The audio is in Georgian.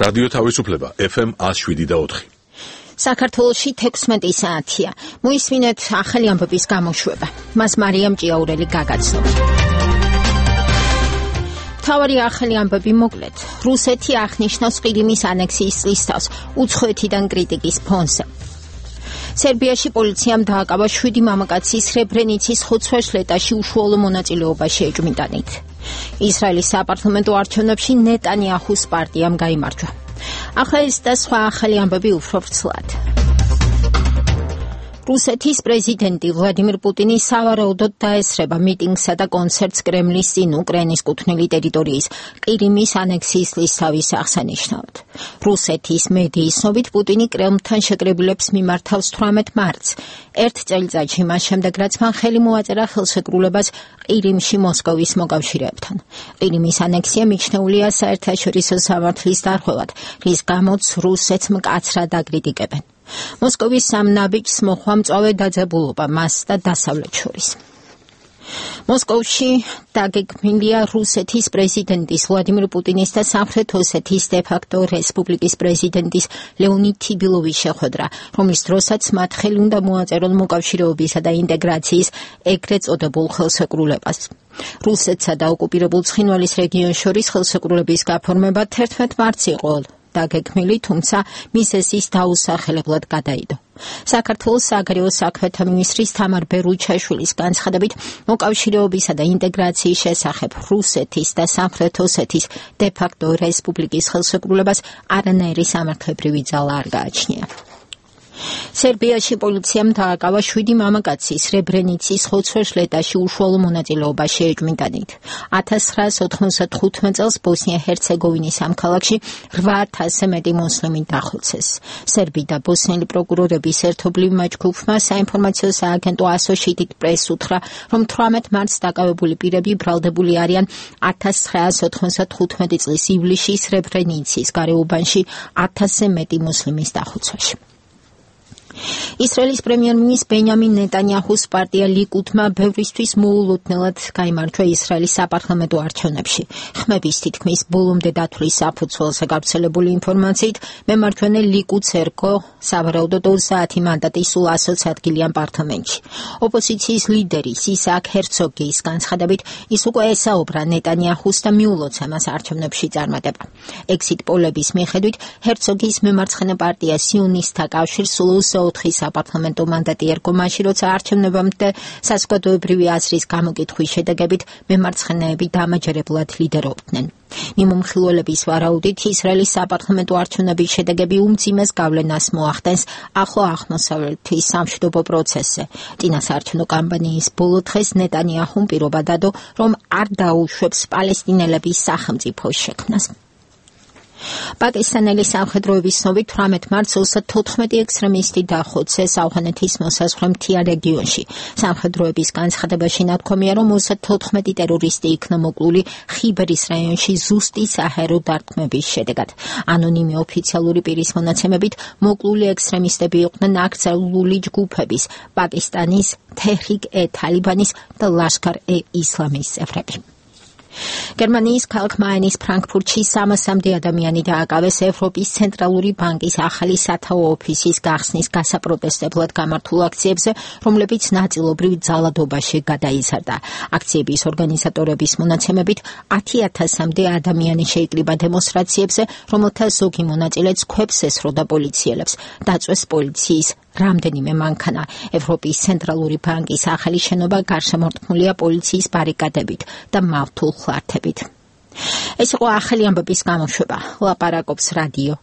რადიო თავისუფლება FM 107.4. საქართველოში 16 საათია. მოისმინეთ ახალი ამბების გამოშვება. მას მარიამ ჭიაურელი გაგაცნობს. თავარი ახალი ამბები მოკლედ. რუსეთი აღნიშნავს ყირიმის ანექსიის წლისთავს უცხოეთიდან კრიტიკის ფონზე. სერბიაში პოლიციამ დააკავა 7 მამაკაცის სრებრენიცის ხოცვა-შლეტაში უშუალო მონაწილეობა შეეჭვმიტანით. ისრაელის საპარლამენტო არჩევნებში ნეტანიაჰუს პარტიამ გაიმარჯვა. ახლა ეს და სხვა ახალი ამბები უფრო ვრცლად. რუსეთის პრეზიდენტი ვლადიმირ პუტინი სავარაუდოდ დაესწრება მიტინგსა და კონცერტს კრემლის წინ უკრაინის კუთვნილი ტერიტორიის ყირიმის ანექსიის ლისავის აღსანიშნავად. რუსეთის მედიის ცნობით პუტინი კრემლთან შეკრებილებს მიმართავს 18 მარტს, ერთ წელიწადში მას შემდეგ, რაც მან ხელი მოაწერა ხელშეკრულებას ყირიმში მოსკოვის მოკავშირეებთან. ყირიმის ანექსია მიჩნეულია საერთაშორისო სამართლის დარღვევად, რის გამოც რუსეთს მკაცრად აკრიტიკებენ. მოსკოვის სამ ნაბიჯს მოჰყვა მწვავე დაძაბულობა მას და დასავლეთს შორის. მოსკოვში დაგეგმილია რუსეთის პრეზიდენტის ვლადიმირ პუტინის და სამხრეთ ოსეთის დე-ფაქტო რესპუბლიკის პრეზიდენტის ლეონიდ თიბილოვის შეხვედრა, რომლის დროსაც მათ ხელი უნდა მოაწერონ მოკავშირეობისა და ინტეგრაციის ეგრეთ წოდებულ ხელშეკრულებას. რუსეთსა და ოკუპირებულ ცხინვალის რეგიონს შორის ხელშეკრულების გაფორმება 11 მარტს იყო დაგეგმილი, თუმცა მის ეს დაუსახელებლად გადაიდო. საქართველოს საგარეო საქმეთა მინისტრის თამარ ბერუჩაშვილის განცხადებით, მოკავშირეობისა და ინტეგრაციის შესახებ რუსეთის და სამხრეთ ოსეთის დე-ფაქტო რესპუბლიკის ხელშეკრულებას არანაირი სამართლებრივი ძალა არ გააჩნია. სერბიაში პოლიციამ დააკავა 7 მამაკაცის სრებრენიცის ხოცვა-შლეტაში უშუალო მონაწილეობა შეეჭვმიტანით. 1995 წელს ბოსნია-ჰერცეგოვინის ამ ქალაქში 8000-ზე მეტი მუსლიმი დახოცეს. სერბი და ბოსნიელი პროკურორების ერთობლივმა ჯგუფმა საინფორმაციო სააგენტო Associated Press უთხრა, რომ 18 მარტს დაკავებული პირები ბრალდებული არიან 1995 წლის ივლისში სრებრენიცის გარეუბანში 1000-ზე მეტი მუსლიმის დახოცვაში. ისრაელის პრემიერ-მინისტრ ბენიამინ ნეტანიაჰუს პარტია ლიკუდმა ბევრისთვის მოულოდნელად გაიმარჯვა ისრაელის საპარლამენტო არჩევნებში. ხმების თითქმის ბოლომდე დათვლის საფუძველზე გავრცელებული ინფორმაციით, მემარჯვენე ლიკუდს ერგო სავარაუდოდ 30 მანდატი სულ 120 ადგილიან პარლამენტში. ოპოზიციის ლიდერის ისააკ ჰერცოგის განცხადებით, ის უკვე ესაუბრა ნეტანიაჰუს და მიულოცა მას არჩევნებში წარმატება. ექსიტ პოლების მიხედვით, ჰერცოგის მემარცხენე პარტია სიონისტთა კავშირს სულ 4 საპარლამენტო მანდატი ერგო მაშინ, როცა არჩევნებამდე საზოგადოებრივი აზრის გამოკითხვის შედეგებით მემარცხენეები დამაჯერებლად ლიდერობდნენ. მიმომხილველების ვარაუდით, ისრაელის საპარლამენტო არჩევნების შედეგები უმძიმეს გავლენას მოახდენს ახლო აღმოსავლეთის სამშვიდობო პროცესზე. წინასაარჩევნო კამპანიის ბოლო დღეს ნეტანიაჰუმ პირობა დადო, რომ არ დაუშვებს პალესტინელების სახელმწიფოს შექმნას. პაკისტანელი სამხედროების ცნობით 18 მარტს 34 ექსტრემისტი დახოცეს ავღანეთის მოსაზღვრე მთიან რეგიონში. სამხედროების განცხადებაში ნათქვამია, რომ 34 ტერორისტი იქნა მოკლული ხიბერის რაიონში ზუსტი საჰაერო დარტყმების შედეგად. ანონიმი ოფიციალური პირის მონაცემებით, მოკლული ექსტრემისტები იყვნენ აკრძალული ჯგუფების პაკისტანის თეჰრიკ-ე-თალიბანის და ლაშქარ-ე-ისლამის წევრები. გერმანიის ქალაქ მაინის ფრანკფურტში 300-მდე ადამიანი დააკავეს ევროპის ცენტრალური ბანკის ახალი სათაო ოფისის გახსნის გასაპროტესტებლად გამართულ აქციებზე, რომლებიც ნაწილობრივ ძალადობაში გადაიზარდა. აქციების ორგანიზატორების მონაცემებით 10,000-მდე ადამიანი შეიკრიბა დემონსტრაციებზე, რომელთა ზოგი მონაწილეც ქვებს ესროდა პოლიციელებს. დაწვეს პოლიციის რამდენიმე მანქანა. ევროპის ცენტრალური ბანკის ახალი შენობა გარშემორტყმულია პოლიციის ბარიკადებით და მავთულ ხლართებით. ეს იყო ახალი ამბების გამოშვება. ლაპარაკობს რადიო